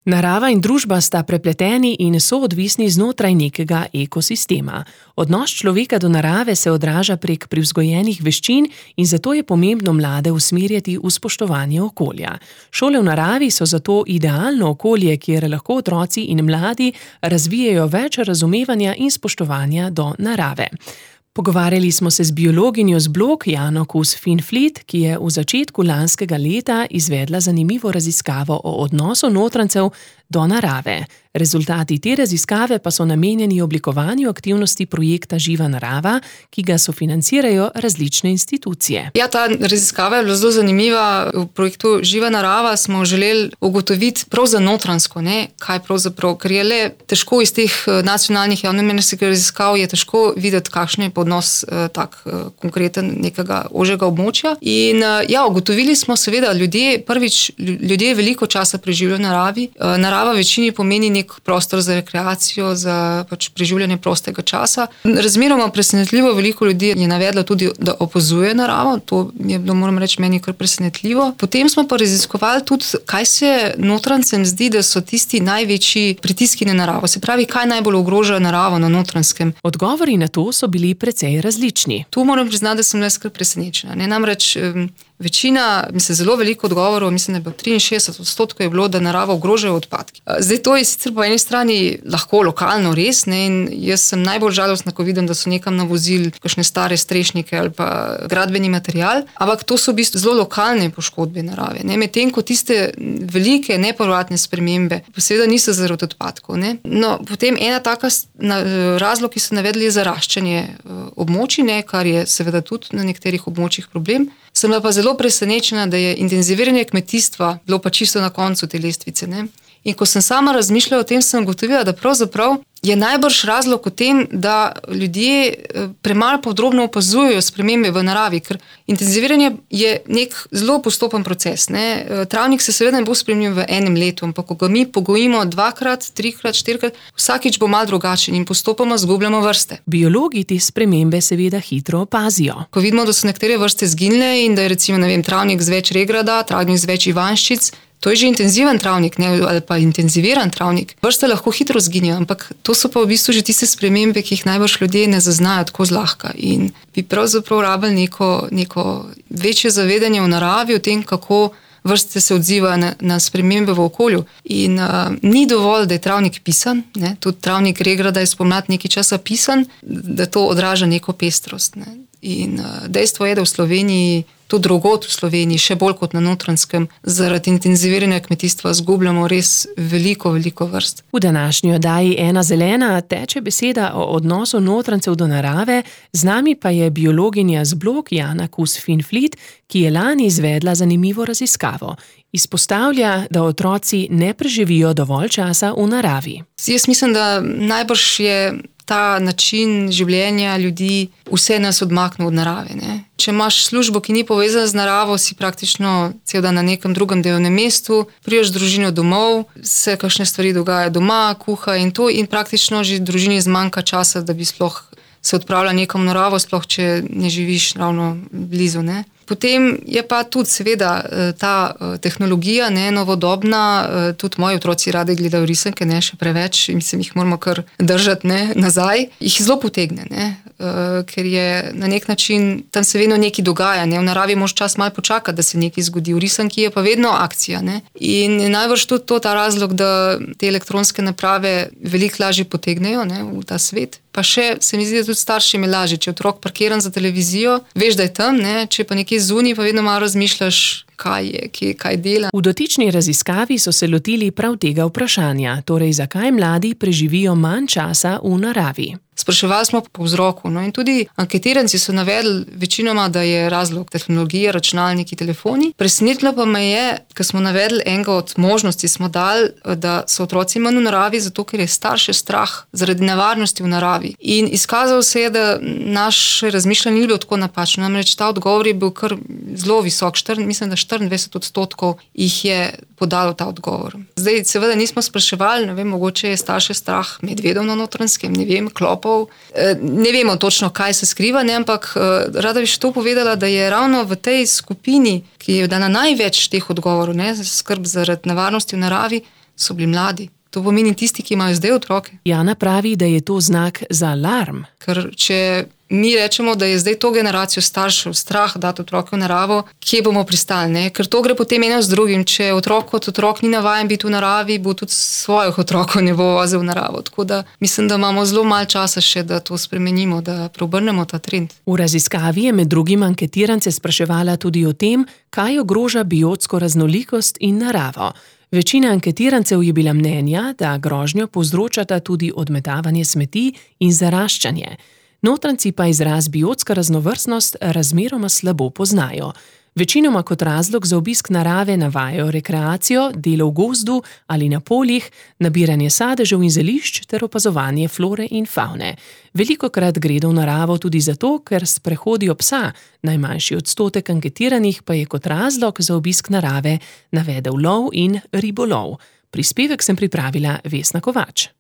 Narava in družba sta prepleteni in soodvisni znotraj nekega ekosistema. Odnos človeka do narave se odraža prek privzgojenih veščin in zato je pomembno mlade usmerjati v spoštovanje okolja. Šole v naravi so zato idealno okolje, kjer lahko otroci in mladi razvijejo več razumevanja in spoštovanja do narave. Pogovarjali smo se z biologinjo z Blok Jano Kus-Finflít, ki je v začetku lanskega leta izvedla zanimivo raziskavo o odnosu notrancev do narave. Rezultati te raziskave pa so namenjeni oblikovanju aktivnosti projekta Živa narava, ki ga sofinancirajo različne institucije. Ja, ta raziskava je bila zelo zanimiva. V projektu Živa narava smo želeli ugotoviti prav za notransko, kaj pravzaprav, ker je le težko iz teh nacionalnih javnomnenjskih raziskav je težko videti, kakšen je odnos tak konkreten nekega ožjega območja. In ugotovili smo seveda, ljudje veliko časa preživljajo v naravi. Narava večini pomeni nek prostor za rekreacijo, za preživljanje prostega časa. Razmeroma presenetljivo veliko ljudi je navedlo tudi, da opazuje naravo. To je bilo, moram reči, meni kar presenetljivo. Potem smo pa raziskovali tudi, kaj se notrancem zdi, da so tisti največji pritiski na naravo. Se pravi, kaj najbolj ogroža naravo na Notranjskem. Odgovori na to so bili precej različni. Tu moram priznati, da sem kar presenečena. Namreč večina, zelo veliko odgovorov, mislim, da je bilo 63% je bilo, da naravo ogrožajo odpadki. Zdaj to je sicer po eni strani lahko lokalno res, in jaz sem najbolj žalostna, ko vidim, da so nekam navozili kakšne stare strešnike ali pa gradbeni material, ampak to so v bistvu zelo lokalne poškodbe narave. Medtem ko tiste velike nepovratne spremembe pa seveda niso zaradi odpadkov. No, potem ena taka razlog, ki so navedli, je zaraščanje območij, kar je seveda tudi na nekaterih območjih problem. Sem pa zelo presenečena, da je intenziviranje kmetijstva bilo pa čisto na koncu te lestvice. In ko sem sama razmišljala o tem, sem ugotovila, da pravzaprav je najbrž razlog v tem, da ljudje premalo podrobno opazujejo spremembe v naravi, ker intenziviranje je nek zelo postopen proces. Travnik se seveda ne bo spremenil v enem letu, ampak ko ga mi pogojimo 2-krat, 3-krat, 4-krat, vsakič bo malo drugačen in postopoma zgubljamo vrste. Biologi te spremembe seveda hitro opazijo. Ko vidimo, da so nekatere vrste zginile in da je recimo, travnik z več regrada, travnik z več ivanščic, to je že intenziven travnik, ali pa intenziviran travnik. Vrste lahko hitro zginijo, ampak to so pa v bistvu že tiste spremembe, ki jih najbrž ljudje ne zaznajo tako zlahka. In bi pravzaprav rabili neko večje zavedanje v naravi, o tem, kako vrste se odzivajo na spremembe v okolju. In ni dovolj, da je travnik pisan, tudi travnik regrada je spomladi nekaj časa pisan, da to odraža neko pestrost. In dejstvo je, da v Sloveniji, tudi drugod v Sloveniji, še bolj kot na Notranjskem, zaradi intenziviranja kmetijstva zgubljamo res veliko vrst. V današnji oddaji Ena zelena teče beseda o odnosu Notranjcev do narave, z nami pa je biologinja z Blok Jana Kus-Finflít, ki je lani izvedla zanimivo raziskavo. Izpostavlja, da otroci ne preživijo dovolj časa v naravi. Jaz mislim, da najbrž je ta način življenja ljudi vse nas odmaknil od narave. Če imaš službo, ki ni povezana z naravo, si praktično cel dan na nekem drugem delovnem mestu, prideš z družino domov, se kakšne stvari dogajajo doma, kuha in to, in praktično že družini zmanjka časa, da bi sploh se odpravila nekam v naravo, sploh če ne živiš ravno blizu. Potem je pa tudi seveda ta tehnologija novodobna, tudi moji otroci radi gledajo risanke, še preveč, mislim, jih moramo kar držati nazaj, jih zelo potegne, ker je na nek način, tam se vedno nekaj dogaja, v naravi moraš čas malo počakati, da se nekaj zgodi, v risanki je pa vedno akcija. In najbrž tudi to ta razlog, da te elektronske naprave veliko lažje potegnejo v ta svet. Pa še se mi zdi, da tudi staršem je lažje, če otrok parkiran za televizijo, veš, da je tam, če pa nekje zunaj, pa vedno malo razmišljaš, kaj dela. V dotični raziskavi so se lotili prav tega vprašanja, torej zakaj mladi preživijo manj časa v naravi. Spraševali smo po vzroku, in tudi anketiranci so navedli večinoma, da je razlog tehnologije, računalniki, telefoni. Presenetilo pa me je, ko smo navedli enega od možnosti, smo dali, da so otroci manj v naravi, zato ker je starše strah zaradi nevarnosti v naravi. In izkazalo se je, da naše razmišljanje ni bilo tako napačno. Namreč ta odgovor je bil kar zelo visok, mislim, da 24% jih je podalo ta odgovor. Zdaj, seveda nismo spraševali, mogoče je starše strah medvedov na Notranjskem, klopov, ne vemo točno, kaj se skriva, ampak rada bi še to povedala, da je ravno v tej skupini, ki je dana največ teh odgovorov, skrb zaradi nevarnosti v naravi, so bili mladi. To pomeni tisti, ki imajo zdaj otroke. Jana pravi, da je to znak za alarm. Ker če mi rečemo, da je zdaj to generacijo staršev strah dati otroke v naravo, kje bomo pristali, ne? Ker to gre potem eno z drugim. Če otrok kot otrok ni navajen biti v naravi, bo tudi svojih otrokov ne bo vozil v naravo. Tako da mislim, da imamo zelo malo časa še, da to spremenimo, da preobrnemo ta trend. V raziskavi je med drugim anketirance spraševala tudi o tem, kaj ogroža biotsko raznolikost in naravo. Večina anketirancev je bila mnenja, da grožnjo povzročata tudi odmetavanje smeti in zaraščanje. Notranjci pa izraz biotska raznovrstnost razmeroma slabo poznajo. Večinoma kot razlog za obisk narave navajajo rekreacijo, delo v gozdu ali na poljih, nabiranje sadežev in zelišč ter opazovanje flore in favne. Velikokrat gredo v naravo tudi zato, ker sprehodijo psa, najmanjši odstotek anketiranih pa je kot razlog za obisk narave navedel lov in ribolov. Prispevek sem pripravila Vesna Kovač.